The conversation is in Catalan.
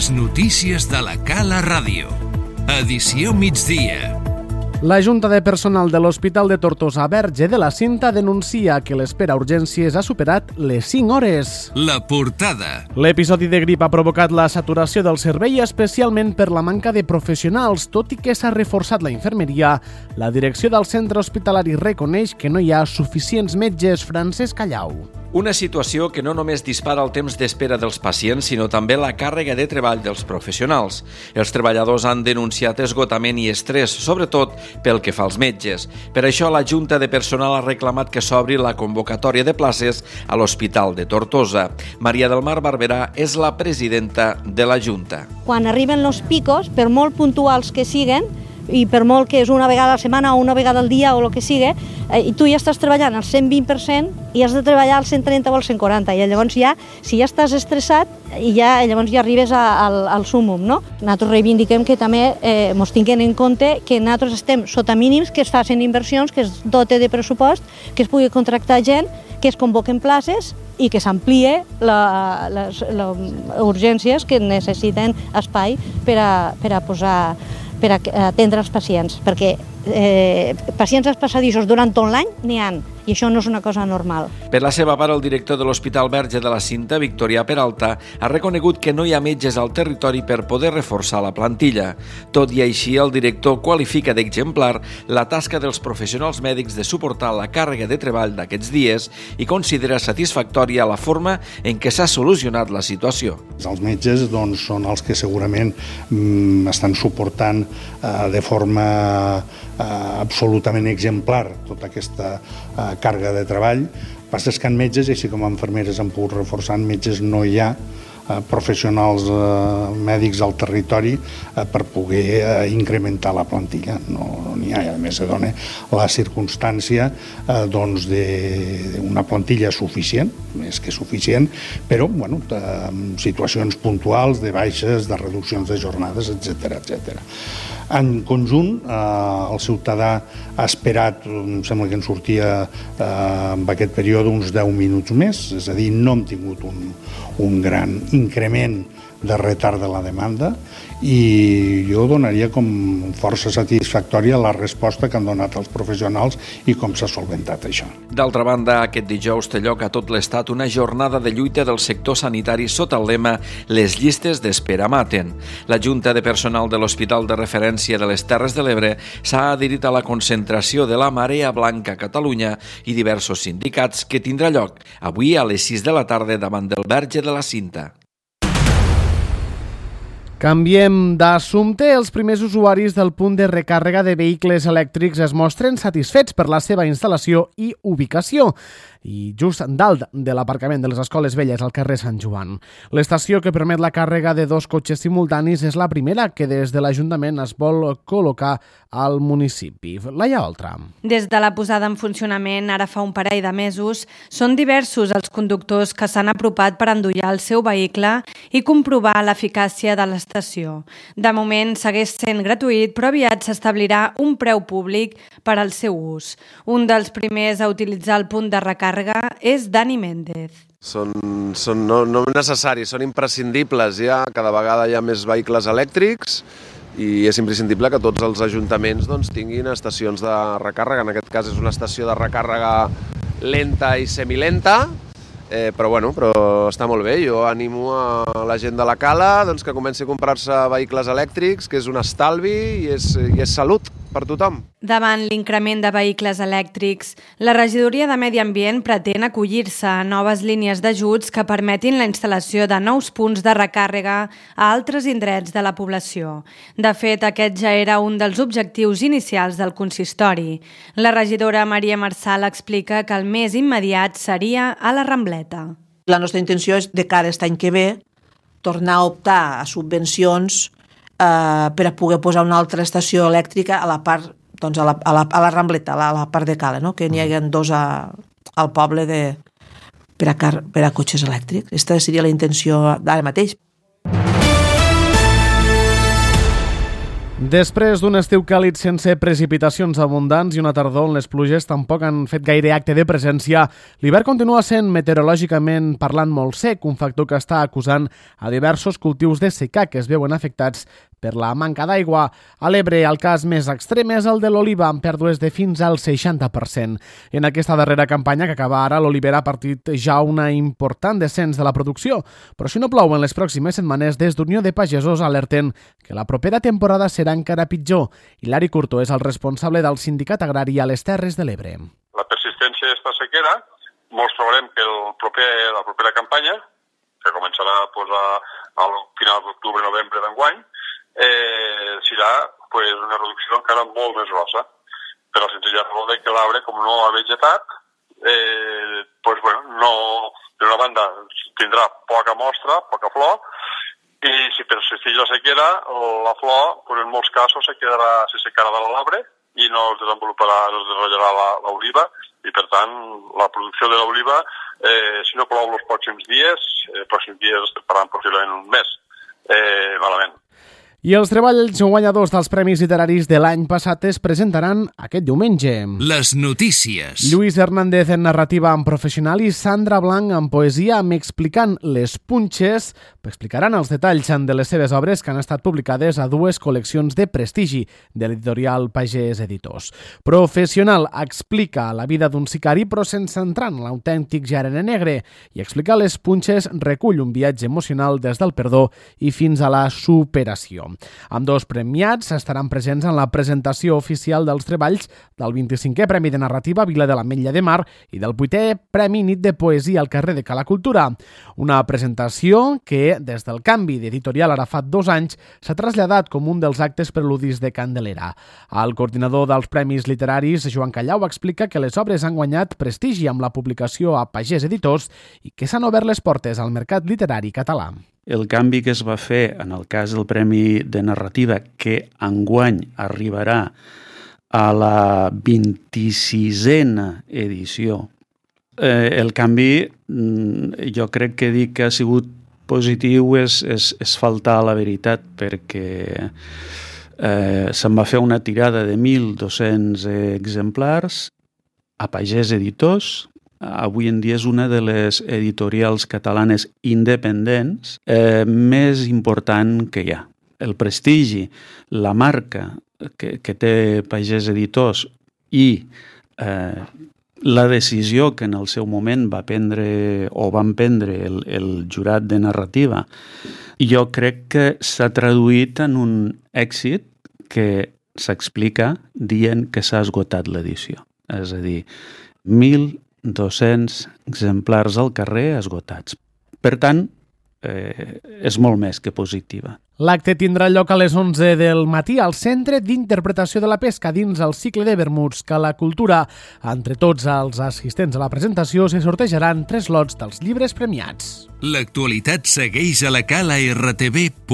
Les notícies de la Cala Ràdio. Edició migdia. La Junta de Personal de l'Hospital de Tortosa Verge de la Cinta denuncia que l'espera a urgències ha superat les 5 hores. La portada. L'episodi de grip ha provocat la saturació del servei, especialment per la manca de professionals. Tot i que s'ha reforçat la infermeria, la direcció del centre hospitalari reconeix que no hi ha suficients metges. Francesc Callau. Una situació que no només dispara el temps d'espera dels pacients, sinó també la càrrega de treball dels professionals. Els treballadors han denunciat esgotament i estrès, sobretot pel que fa als metges. Per això la Junta de Personal ha reclamat que s'obri la convocatòria de places a l'Hospital de Tortosa. Maria del Mar Barberà és la presidenta de la Junta. Quan arriben els picos, per molt puntuals que siguen, i per molt que és una vegada a la setmana o una vegada al dia o el que sigui, i tu ja estàs treballant al 120% i has de treballar al 130 o al 140, i llavors ja, si ja estàs estressat, llavors ja arribes al súmum, no? Nosaltres reivindiquem que també ens tinguin en compte que nosaltres estem sota mínims, que es facin inversions, que es dote de pressupost, que es pugui contractar gent, que es convoquen places i que s'amplie les urgències que necessiten espai per a atendre els pacients, perquè pacients als passadissos durant tot l'any n'hi ha, i això no és una cosa normal. Per la seva part, el director de l'Hospital Verge de la Cinta, Victorià Peralta, ha reconegut que no hi ha metges al territori per poder reforçar la plantilla. Tot i així, el director qualifica d'exemplar la tasca dels professionals mèdics de suportar la càrrega de treball d'aquests dies i considera satisfactòria la forma en què s'ha solucionat la situació. Els metges són els que segurament estan suportant de forma absolutament exemplar tota aquesta càrrega de treball. El que passa és que en metges, així com infermeres han pogut reforçar, en metges no hi ha professionals mèdics al territori per poder incrementar la plantilla. No n'hi ha, i a més se dona la circumstància d'una plantilla suficient, més que suficient, però amb situacions puntuals de baixes, de reduccions de jornades, etc. En conjunt, el ciutadà ha esperat, em sembla que en sortia en aquest període uns 10 minuts més, és a dir, no hem tingut un gran increment de retard de la demanda, i jo donaria com força satisfactòria la resposta que han donat els professionals i com s'ha solventat això. D'altra banda, aquest dijous té lloc a tot l'Estat una jornada de lluita del sector sanitari sota el lema «Les llistes d'espera maten». La Junta de Personal de l'Hospital de Referència de les Terres de l'Ebre s'ha adherit a la concentració de la Marea Blanca a Catalunya i diversos sindicats que tindrà lloc avui a les 6 de la tarda davant del Verge de la Cinta. Canviem d'assumpte. Els primers usuaris del punt de recàrrega de vehicles elèctrics es mostren satisfets per la seva instal·lació i ubicació, i just dalt de l'aparcament de les Escoles Velles al carrer Sant Joan. L'estació que permet la càrrega de 2 cotxes simultanis és la primera que des de l'Ajuntament es vol col·locar al municipi. Laia Oltra. Des de la posada en funcionament, ara fa un parell de mesos, són diversos els conductors que s'han apropat per endollar el seu vehicle i comprovar l'eficàcia de l'estació. De moment segueix sent gratuït, però aviat s'establirà un preu públic per al seu ús. Un dels primers a utilitzar el punt de recàrrega és Dani Méndez. Són no necessaris, són imprescindibles ja. Cada vegada hi ha més vehicles elèctrics i és imprescindible que tots els ajuntaments tinguin estacions de recàrrega. En aquest cas és una estació de recàrrega lenta i semilenta, però està molt bé. Jo animo a la gent de la Cala que comenci a comprar-se vehicles elèctrics, que és un estalvi i és salut per tothom. Davant l'increment de vehicles elèctrics, la Regidoria de Medi Ambient pretén acollir-se a noves línies d'ajuts que permetin la instal·lació de nous punts de recàrrega a altres indrets de la població. De fet, aquest ja era un dels objectius inicials del consistori. La regidora Maria Marçal explica que el més immediat seria a la Rambleta. La nostra intenció és, de cara a aquest any que ve, tornar a optar a subvencions per a poder posar una altra estació elèctrica a la part, a la Rambleta, a la part de Cala, que n'hi hagi 2 al poble per a cotxes elèctrics. Aquesta seria la intenció d'ara mateix. Després d'un estiu càlid sense precipitacions abundants i una tardor on les pluges tampoc han fet gaire acte de presència, l'hivern continua sent meteorològicament parlant molt sec, un factor que està acusant a diversos cultius de secà que es veuen afectats per la manca d'aigua. A l'Ebre, el cas més extrem és el de l'oliva, amb pèrdues de fins al 60%. En aquesta darrera campanya que acaba ara, l'olivera ha partit ja una important descens de la producció, però si no plou en les pròximes setmanes, des d'Unió de Pagesos alerten que la propera temporada serà encara pitjor. Hilari Curto és el responsable del Sindicat Agrari a les Terres de l'Ebre. La persistència d'esta sequera, molts trobarem que la propera campanya, que començarà al final d'octubre-novembre d'enguany, serà una reducció encara molt més grossa, per la senzilla raó que l'arbre, com no ha vegetat, no, per una banda tindrà poca mostra, poca flor, i si persisteix la sequera, la flor en molts casos se secarà de l'arbre i no es desenvoluparà l'oliva, i per tant la producció de l'oliva, si no plou els pròxims dies estem parlant possiblement un mes, malament. I els treballs guanyadors dels Premis Literaris de l'any passat es presentaran aquest diumenge. Les notícies. Lluís Hernández en narrativa amb professional i Sandra Blanc en poesia M'explicant les punxes. Explicaran els detalls de les seves obres que han estat publicades a dues col·leccions de prestigi de l'editorial Pagès Editors. Professional explica la vida d'un sicari però sense entrar en l'autèntic gènere negre, i explicar les punxes recull un viatge emocional des del perdó i fins a la superació. Ambdós premiats estaran presents en la presentació oficial dels treballs del 25è Premi de Narrativa Vila de l'Ametlla de Mar i del 8è Premi Nit de Poesia al carrer de Cala Cultura. Una presentació que, des del canvi d'editorial ara fa 2 anys, s'ha traslladat com un dels actes preludis de Candelera. El coordinador dels Premis Literaris, Joan Callau, explica que les obres han guanyat prestigi amb la publicació a Pagès Editors i que s'han obert les portes al mercat literari català. El canvi que es va fer en el cas del Premi de Narrativa, que enguany arribarà a la 26a edició, el canvi, jo crec que dir que ha sigut positiu és faltar a la veritat, perquè se'n va fer una tirada de 1.200 exemplars a Pagès Editors. Avui en dia és una de les editorials catalanes independents més important que hi ha. El prestigi, la marca que té Pagès Editors i la decisió que en el seu moment van prendre el jurat de narrativa, jo crec que s'ha traduït en un èxit que s'explica dient que s'ha esgotat l'edició. És a dir, 1.200 exemplars al carrer esgotats. Per tant, és molt més que positiva. L'acte tindrà lloc a les 11 del matí al Centre d'Interpretació de la Pesca dins el cicle de vermuts Cala Cultura. Entre tots els assistents a la presentació se sortejaran 3 lots dels llibres premiats. L'actualitat segueix a la calartv.cat.